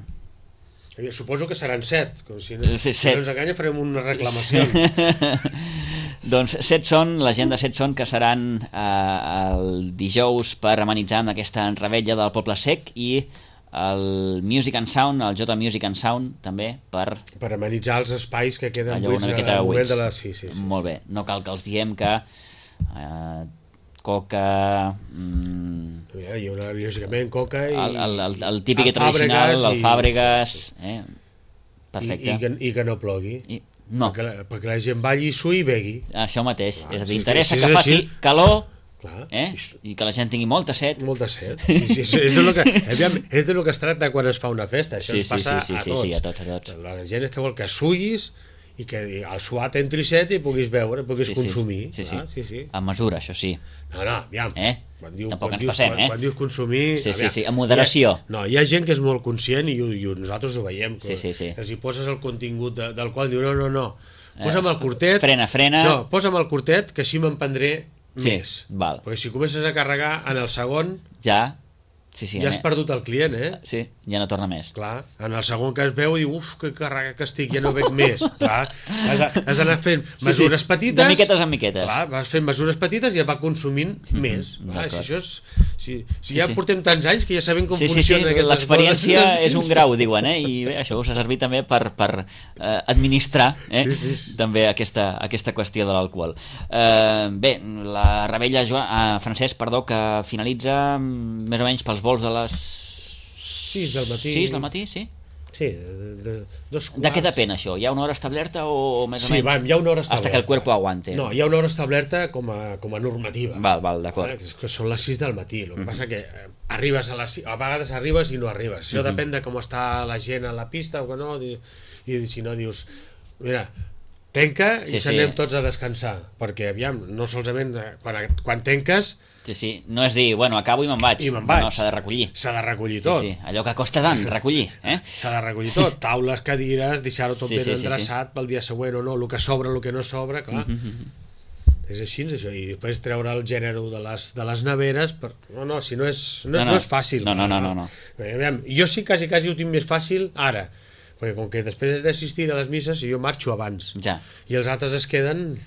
Suposo que seran set, com si no, sí, si no ens enganya farem una reclamació. Doncs set són, la gent de set són que seran eh, el dijous per amenitzar amb aquesta rebella del Poble Sec i el Music and Sound, el J Music and Sound també per... Per amenitzar els espais que queden allò buits al moment de la... Sí, sí, sí, molt sí. bé, no cal que els diem que eh, Coca... Mm, hi haurà lògicament Coca i... El, el, el, el típic i tradicional, el Fàbregas... Eh? Perfecte. I, i, que, I que no plogui. I, no. Perquè, la, perquè la gent balli i sui i begui. Això mateix. Clar, és a dir, sí, interessa sí, que sí, faci sí. calor Clar. Eh? I que la gent tingui molta set. Molta set. Sí, sí, sí. És, de lo que, és de lo que es tracta quan es fa una festa. Això sí, ens passa sí, sí, a sí, tots. Sí, sí, a tots, a tots. La gent és que vol que suïs i que el suat entri set i puguis veure, puguis sí, consumir. Sí, sí, ah, sí, sí. A mesura, això sí. No, no, aviam. Eh? Quan diu, Tampoc quan ens dius, passem, quan, eh? Quan dius consumir... Sí, sí, aviam, sí, amb moderació. Hi ha, no, hi ha gent que és molt conscient i, i nosaltres ho veiem. Que, Sí, sí, sí. que si poses el contingut de, del qual diu, no, no, no, posa'm el curtet... Frena, frena... No, posa'm el curtet, que així me'n prendré Sí, més. val. Perquè si comences a carregar en el segon, Ja... Sí, sí, ja has perdut el client, eh? Sí, ja no torna més. Clar, en el segon que es veu diu, uf, que carrega que estic, ja no veig més. Clar, has, de- has d'anar fent mesures sí, petites. de miquetes en miquetes. Clar, vas fent mesures petites i ja va consumint més. Clar, si, d'acord. això és, si, si Sí, ja sí. portem tants anys que ja sabem com Sí, sí, sí, funcionen aquestes l'experiència coses. és un grau, diuen, eh? I bé, això us ha servit també per, per eh, administrar eh? Sí, sí, sí. també aquesta, aquesta qüestió de l'alcohol. Eh, bé, la rebella Joan, eh, Francesc, perdó, que finalitza mm, més o menys pels vols de les sis del matí. sis del matí, sí? Sí, de, de, dos quarts. De què depèn això? Hi ha una hora establerta o més o Sí, menys? va, hi ha una hora establerta. Hasta que el cuerpo aguante. No, hi ha una hora establerta com a, com a normativa. Val, val, d'acord. Eh, que, que són les sis del matí. El que passa que eh, arribes a les sis, a vegades arribes i no arribes. Això depèn de com està la gent a la pista o que no, i, i si no dius, mira, tenca i Sí, sí. s'anem tots a descansar, perquè aviam, no solament eh, quan, quan tenques Sí, sí, no és dir, bueno, acabo i me'n vaig. i me'n vaig. No, s'ha de recollir. S'ha de recollir Sí, tot. sí, allò que costa tant, recollir, eh? S'ha de recollir tot, taules, cadires, deixar-ho tot Sí, ben sí, sí, endreçat pel dia següent o no, el que sobra, el que no sobra, clar. És així, és això, i després treure el gènere de les, de les neveres, per... no, no, si no és, no, No, no, no. no és fàcil. No, no, no, no, no. Bé, aviam, jo sí, quasi, quasi ho tinc més fàcil ara, perquè com que després has d'assistir a les misses, jo marxo abans, Ja. i els altres es queden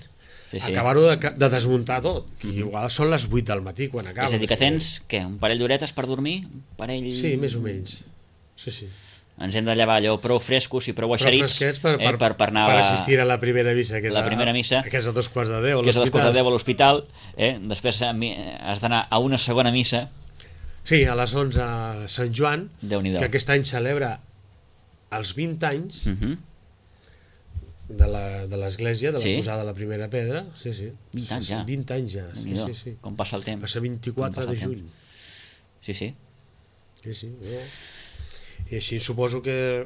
Sí, sí. acabar-ho de, de desmuntar tot, i igual són les vuit del matí quan acaba. És a dir, que tens, què, un parell d'horetes per dormir? Un parell... Sí, més o menys. Sí, sí. Ens hem de llevar allò prou frescos i prou Però eixerits fresquets per, per, eh, per, per anar per a la, assistir a la primera missa, que és la a- primera missa, que és a dos quarts de deu, a que és a dos quarts de l'hospital. deu a l'hospital, eh? Després a mi- has d'anar a una segona missa. Sí, a les onze a Sant Joan, Déu-n'hi-do. que aquest any celebra els vint anys Uh -huh. de la- de l'església, de la Sí? posada de la primera pedra. Sí, sí. vint anys sí, ja. Sí, vint anys ja. Sí, Déu-n'hi-do. sí, sí. Com passa el temps. Va ser vint-i-quatre Com passa de el juny. temps. Sí, sí. Sí, sí. No? I així suposo que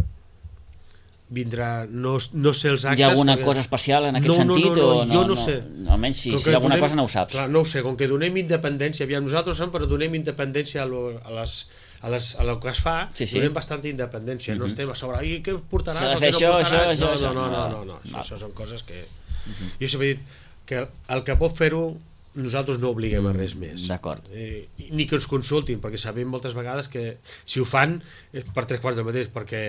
vindrà, no, no sé els actes... Hi ha alguna perquè- cosa especial en aquest no, no, sentit? no, no, o no, jo no sé. Almenys si, Com si que hi ha alguna donem- cosa no ho saps. Clar, no ho sé, com que donem independència, aviam, nosaltres som, però donem independència a, lo, a, les, a, les, a lo que es fa, Sí, sí. donem bastanta independència, no estem a sobre, i què portaràs, S'ha de o fer què no això, portaràs? això, no, això, no, no, això. no, no, no, Val. això, això són coses que... Jo sempre he dit que el que pot fer-ho nosaltres no obliguem a res més. D'acord. Eh, ni que ens consultin, perquè sabem moltes vegades que si ho fan és per tres quarts del mateix, perquè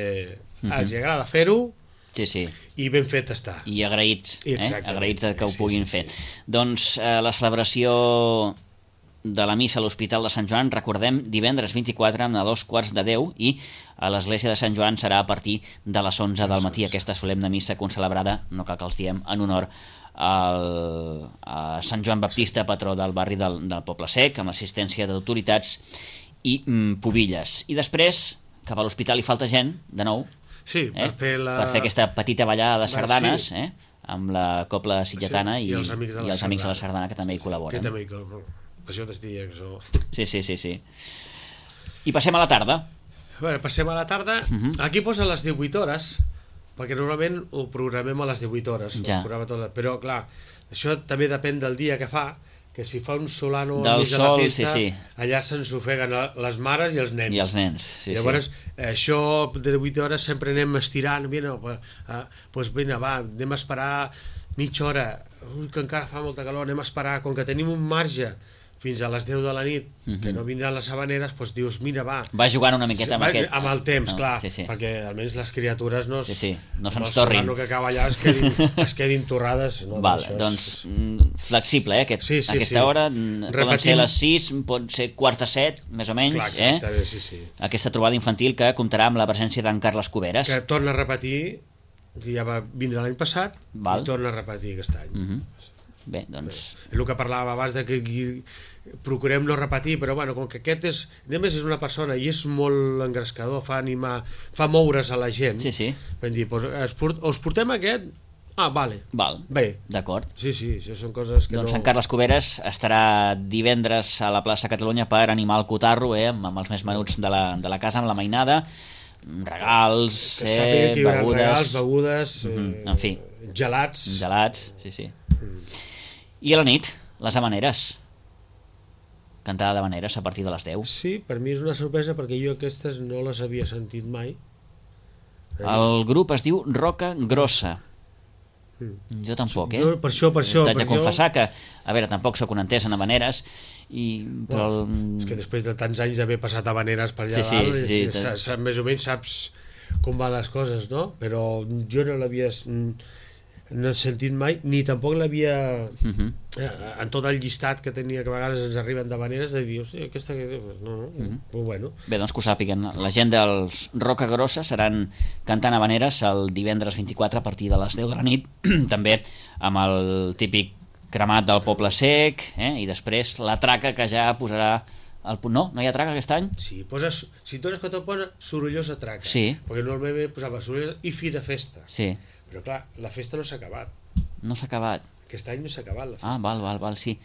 els agrada fer-ho Sí, sí. i ben fet està. I agraïts, eh? Exactament. Agraïts de que ho Sí, puguin sí, sí, fer. sí. Doncs eh, la celebració de la missa a l'Hospital de Sant Joan, recordem, divendres vint-i-quatre a dos quarts de deu, i a l'església de Sant Joan serà a partir de les onze del matí, aquesta solemne missa concelebrada, no cal que els diem, en honor al, a Sant Joan Baptista, patró del barri del, del Poble Sec, amb l'assistència d'autoritats i mm, pubilles. I després, cap a l'hospital hi falta gent, de nou, Sí, per eh? fer la... per fer aquesta petita ballada de Va, sardanes, sí. eh? Amb la Copla Sitgetana Sí, i, i els Amics de la i els Amics de la Sardana. Sardana, que també hi que col·laboren. també, que, això t'es diria que això... Sí, sí, sí, sí. I passem a la tarda. Bueno, passem a la tarda. Uh -huh. Aquí posa les divuit hores, perquè normalment ho programem a les divuit hores. Ja. Es programa tot, però, clar, això també depèn del dia que fa, que si fa un solano Del al mig de la sol, festa, sí, sí. allà se'ns ofeguen les mares i els nens. I els nens, sí, Llavors, sí. això de divuit hores sempre anem estirant, mira, pues, uh, pues vinga, va, anem a esperar mitja hora, ui, que encara fa molta calor, anem a esperar, com que tenim un marge fins a les deu de la nit, uh -huh. que no vindran les habaneres, doncs dius, mira, va. Va jugant una miqueta amb Va, aquest... amb el temps, no, clar, sí, sí. perquè almenys les criatures no, es, Sí, sí, no amb se'ns el torrin. solano que acaba allà es quedin, es quedin torrades. No, Val, això és- doncs mm, flexible, eh? Aquest, Sí, sí, aquesta sí. hora mm, poden Repetim. ser les sis, pot ser quart a set, més o menys, Clar, eh? exacte, sí, sí. Aquesta trobada infantil que comptarà amb la presència d'en Carles Cuberes. Que torna a repetir, que ja va vindre l'any passat, Val. i torna a repetir aquest any. Uh -huh. Bé, doncs... És el que parlàvem abans de que aquí procurem no repetir, però bueno, com que aquest és, només és una persona i és molt engrescador, fa animar, fa moure's a la gent, Sí, sí. vam dir, pues, es port, us portem aquest? Ah, vale. Val, Bé. d'acord. Sí, sí, això són coses que Doncs no... en Carles Cuberes estarà divendres a la plaça Catalunya per animar el cotarro, eh, amb, amb els més menuts de la, de la casa, amb la mainada. regals, que eh, sàpiga que hi haurà begudes... regals, begudes, Mm -hmm. eh, En fi. gelats. Gelats, sí, sí. I a la nit, les havaneres. Cantada d'havaneres a partir de les deu. Sí, per mi és una sorpresa perquè jo aquestes no les havia sentit mai. El grup es diu Roca Grossa. Jo tampoc, eh? Jo, per això, per això. T'haig de perquè confessar que, a veure, tampoc sóc un entès en havaneres, i, però... Bueno, és que després de tants anys d'haver passat havaneres per allà Sí, sí, dalt, sí, sí, sí, sa, sa, més o menys saps com van les coses, no? Però jo no l'havia no he sentit mai, ni tampoc l'havia Uh -huh. eh, en tot el llistat que tenia, que a vegades ens arriben d'havaneres, de dir, hòstia, aquesta... No, no, uh -huh. Però bueno. Bé, doncs que ho sàpiguen. La gent dels Roca Grossa seran cantant havaneres el divendres vint-i-quatre a partir de les deu de la nit, també amb el típic cremat del Poble Sec, eh? I després la traca que ja posarà el punt. No? No hi ha traca aquest any? Sí, poses, si tu eres que te'l posa sorollosa traca, Sí. perquè normalment posava sorollosa i fi de festa, Sí. però clar, la festa no s'ha acabat, No s'ha acabat. aquest any no s'ha acabat la festa. Ah, val, val, val, sí.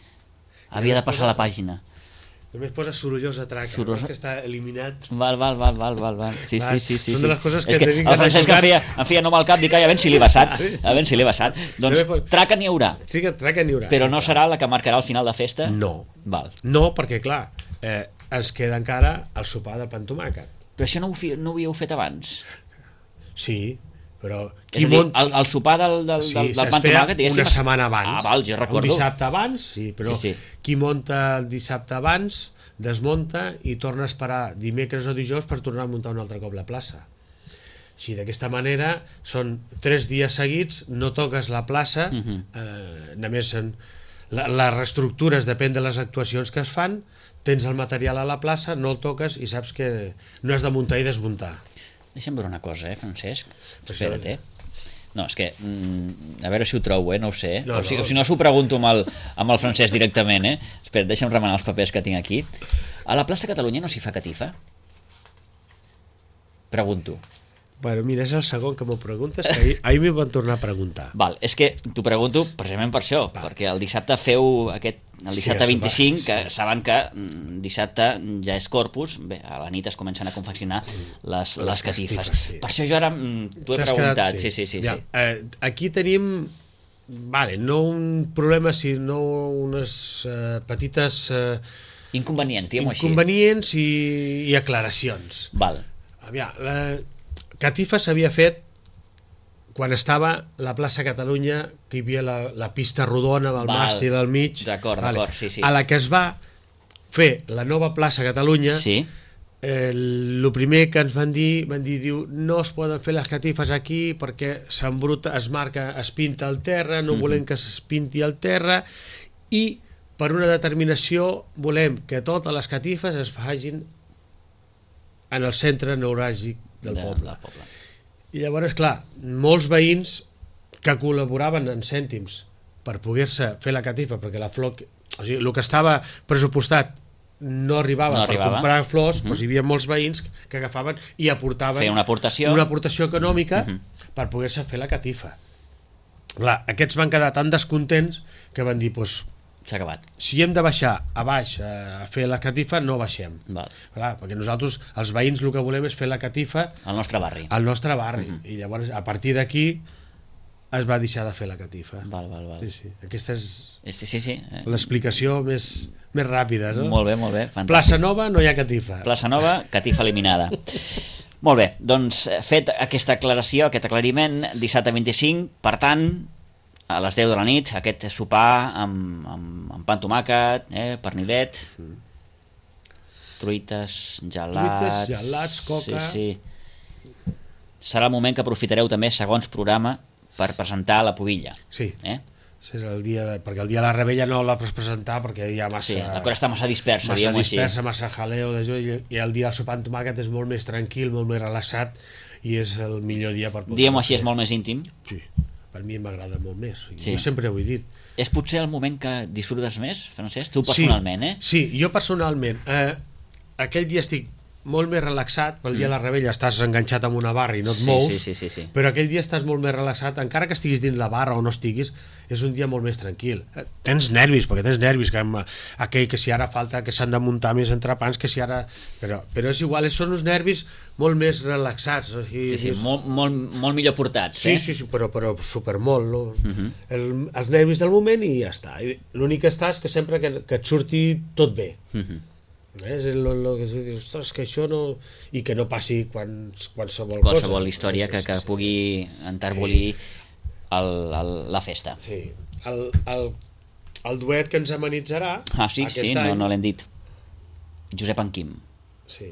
Havia de passar la pàgina. Només posa sorollosa traca, Sorollosa- no? Que està eliminat. Val, val, val, val, val, val. Sí, Vas, sí, sí, sí. són sí. de les coses que És que tenim que el Francesc em deixar feia, em feia nom al cap, dic, ai, a veure si l'he vessat, a veure si l'he vessat. Doncs No me pot- traca n'hi haurà, Sí que traca n'hi haurà. però sí, no clar. serà la que marcarà el final de festa? No. Val. No, perquè clar, eh, ens queda encara el sopar de pa amb tomàquet. Però això no ho, fi, no ho havíeu fet abans? Sí, però... És a dir, el, el sopar del, del, Sí, del, del es pa amb feia tomàquet, diguéssim... una setmana abans. Ah, val, jo recordo. Un dissabte abans, sí, però Sí, sí. qui monta el dissabte abans, desmunta i torna a esperar dimecres o dijous per tornar a muntar un altre cop la plaça. Així, d'aquesta manera, són tres dies seguits, no toques la plaça, Uh -huh. eh, només en, la, les reestructures depèn de les actuacions que es fan, tens el material a la plaça, no el toques i saps que no has de muntar i desmuntar. Deixa'm veure una cosa, eh, Francesc? Això- Espera't, eh? No, és que... Mm, a veure si ho trobo, eh? No ho sé. No, o, si, no. o si no, s'ho pregunto amb el, amb el Francesc directament, eh? Espera, deixa'm remenar els papers que tinc aquí. A la plaça Catalunya no s'hi fa catifa? Pregunto. Bueno, mira, és el segon que m'ho preguntes, que ahir, ahir m'hi van tornar a preguntar. Val, és que t'ho pregunto precisament per això, Va. perquè el dissabte feu aquest, el Sí, dissabte el sopar, vint-i-cinc, que sí. saben que mm, dissabte ja és Corpus, bé, a la nit es comencen a confeccionar les, les, Les catifes. catifes, sí. Per això jo ara mm, t'ho he T'has preguntat. quedat- Sí, sí, sí. ja, sí. eh, aquí tenim, vale, no un problema, sinó unes eh, petites eh, Inconvenient, diguem-ho així. inconvenients i, i aclaracions. Val. Aviam, la catifa s'havia fet quan estava la plaça Catalunya, que hi havia la, la pista rodona amb el Val. màstil al mig. D'acord, d'acord, sí, sí. A la que es va fer la nova plaça Catalunya, Sí, el eh, primer que ens van dir, van dir, diu, no es poden fer les catifes aquí perquè s'embruta, es marca, es pinta al terra, no volem que es pinti al terra, i per una determinació volem que totes les catifes es facin en el centre neuràgic del de- poble. del poble. I llavors, clar, molts veïns que col·laboraven en cèntims per poder-se fer la catifa, perquè la flor, o sigui, el que estava pressupostat no arribava No per arribava. comprar flors, Uh -huh. doncs hi havia molts veïns que agafaven i aportaven Feien una aportació. una aportació econòmica Uh -huh. per poder-se fer la catifa. Clar, aquests van quedar tan descontents que van dir, doncs, S'ha acabat. si hem de baixar a baix a fer la catifa, no baixem. Val. Clar, perquè nosaltres, els veïns, el que volem és fer la catifa Al nostre barri. al nostre barri. Uh -huh. I llavors, a partir d'aquí, es va deixar de fer la catifa. Val, val, val. Sí, sí. Aquesta és Sí, sí, sí. Eh, l'explicació més, més ràpida. No? Molt bé, molt bé. Fantàstic. Plaça Nova, no hi ha catifa. Plaça Nova, catifa eliminada. Molt bé, doncs fet aquesta aclaració, aquest aclariment, dissabte vint-i-cinc, per tant, a les deu de la nit, aquest sopar amb, amb, amb pa amb tomàquet, eh, pernilet, truites, gelats... Truites, gelats, coca. Sí, sí. Serà el moment que aprofitareu també, segons programa, per presentar la pubilla. Sí. Eh? És el dia de, perquè el dia de la rebella no la pots presentar perquè hi ha massa... Sí, la cosa està massa dispersa, massa diguem-ho així. dispersa, massa jaleo de jo, i, i el dia del sopar amb tomàquet és molt més tranquil, molt més relaxat i és el millor dia per poder... Diguem-ho així, fer. és molt més íntim. Sí, per mi m'agrada molt més. Sí. Jo sempre ho he dit. És potser el moment que disfrutes més, Francesc? Tu personalment, sí, eh? Sí, jo personalment. Eh, aquell dia estic molt més relaxat, pel dia de la rebella estàs enganxat amb una barra i no et Sí, mous, sí, sí, sí, sí. però aquell dia estàs molt més relaxat, encara que estiguis dins la barra o no estiguis, és un dia molt més tranquil. Tens nervis, perquè tens nervis, que amb aquell que si ara falta que s'han de muntar més entrepans, que si ara... Però, però és igual, són uns nervis molt més relaxats. O sigui, sí, sí, és... molt, molt, molt millor portats, sí, eh? Sí, sí, però, però supermolt, no? Uh -huh. El, els nervis del moment i ja està. L'únic que està és que sempre que, que et surti tot bé. Uh -huh. És el, el, el que dius, ostres, que això no... I que no passi quan, qualsevol, qualsevol cosa. història sí, que, que sí, sí. pugui enterbolir sí. el, el, la festa. Sí, el, el, el duet que ens amenitzarà ah, sí, aquest sí, any... no, no l'hem dit. Josep en Quim. Sí,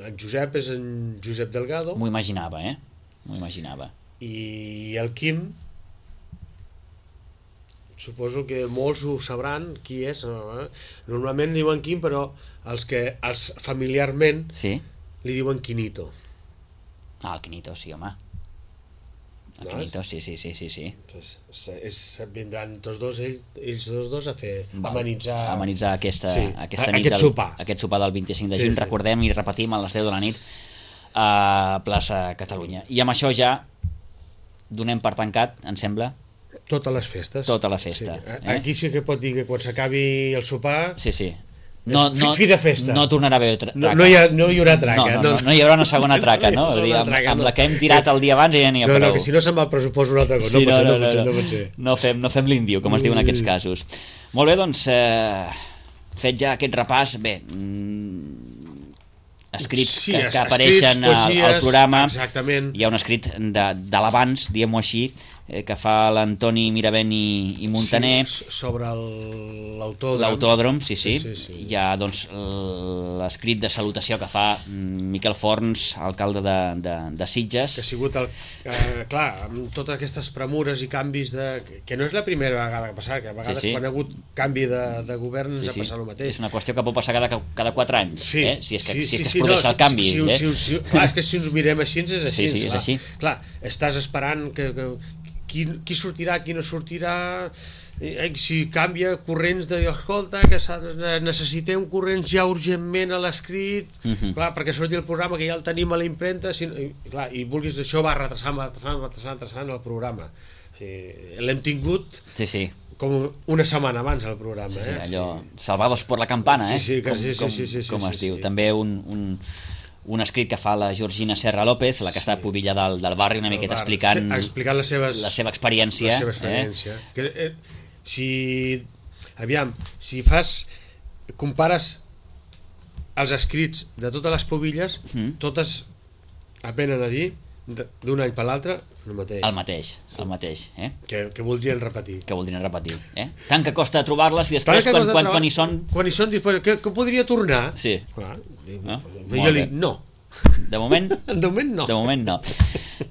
en Josep és en Josep Delgado. M'ho imaginava, eh? M'ho imaginava. I el Quim, suposo que molts ho sabran qui és. Normalment li diuen Quim, però els que els familiarment sí? li diuen Quinito. Ah, el Quinito, sí, home. El No, Quinito, sí, sí, sí, sí, sí. És, és, vindran tots dos, ells, ells dos dos a fer Val. amenitzar, amenitzar aquesta, sí, aquesta nit aquest del, sopar. aquest sopar del vint-i-cinc de Sí, juny, sí. recordem i repetim a les deu de la nit a plaça Catalunya. I amb això ja donem per tancat, em sembla, totes les festes. tota la festa. Sí. Eh? Aquí sí que pot dir que quan s'acabi el sopar Sí, sí. No, és no, fi de festa. no tornarà a haver tra no, traca. no, hi ha, no hi haurà traca. No, no, no, no hi haurà una segona traca, no? No hi Vull dir, haurà amb, traca, amb no. la que hem tirat el dia abans ja n'hi ha no, prou. no, que si no se'n va el pressupost una altra cosa. Sí, no, pot no, ser, no, no, pot ser, no, no pot ser. no fem, no fem l'indiu, com es diu en aquests casos. Molt bé, doncs, eh, fet ja aquest repàs, bé, mm, escrits Sí, que, que escrits, apareixen al, al poesies, programa. exactament. Hi ha un escrit de, de l'abans, diguem-ho així, eh, que fa l'Antoni Miravent i, i Montaner. Sí, sobre el- l'autòdrom. L'autòdrom, sí, sí. Sí, sí, sí. Hi ha doncs, l'escrit de salutació que fa mm, Miquel Forns, alcalde de, de, de Sitges. Que ha sigut, el, eh, clar, amb totes aquestes premures i canvis de... que no és la primera vegada que ha passat, que a vegades Sí, sí. quan ha hagut canvi de, de govern ens Sí, ha sí. passat el mateix. És una qüestió que pot passar cada, cada quatre anys, Sí, eh? si és que, sí, si és sí, que es sí, produeix no, el canvi. Si, eh? si, si, clar, és que si ens mirem així és així. Sí, sí, és clar. així. Clar, estàs esperant que, que qui, qui sortirà, qui no sortirà, eh, si canvia corrents de, escolta, que necessitem corrents ja urgentment a l'escrit, uh Mhm. -huh. clar, perquè surti el programa que ja el tenim a la impremta, si, i, clar, i vulguis, això va retrasant, va retrasant, va retrasant, retrasant el programa. Sí, l'hem tingut Sí, sí. com una setmana abans el programa. Sí, sí, eh? allò, salvados por la campana, eh? Sí, sí, que com, sí, sí, com, sí, sí, sí, com sí, es sí, diu. sí. També un, un, un escrit que fa la Georgina Serra López, la que està a Pubilla del, del barri, una miqueta Bar, explicant, se- explicant les seves, la seva experiència. la seva experiència. Eh? Que, eh, si, aviam, si fas, compares els escrits de totes les pubilles, Mm. totes apenen a dir de- d'un any per l'altre el mateix, El mateix, el mateix, eh? que, que voldrien repetir. Que voldrien repetir, eh? Tant que costa trobar-les i Tant després que quan, costa quan, trobar- quan hi són... quan hi són, dius, però que, que podria tornar? Sí. Clar, dic, Ah, jo molt li bé. dic, no. De moment, De moment no. de moment no.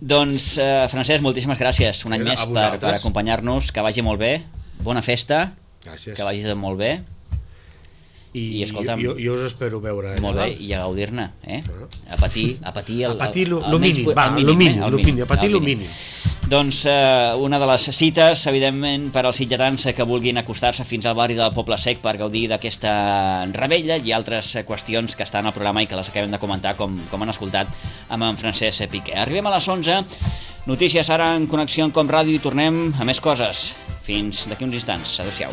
Doncs, eh, Francesc, moltíssimes gràcies un any A més per, vosaltres. per acompanyar-nos, que vagi molt bé, bona festa, Gràcies. que vagi tot molt bé, I, I, escolta'm, jo, jo us espero veure. molt allà. bé, i a gaudir-ne, eh? A patir, a patir el, A patir lo, el, lo el menys mínim, po- va, el lo mínim, eh? El lo mínim, a patir el lo mínim. Doncs eh, una de les cites, evidentment, per als sitgetans que vulguin acostar-se fins al barri del Poble Sec per gaudir d'aquesta rebella i altres eh, qüestions que estan al programa i que les acabem de comentar, com, com han escoltat amb en Francesc Piqué. Arribem a les onze, notícies ara en connexió amb Com Ràdio i tornem a més coses. Fins d'aquí uns instants. Adéu-siau.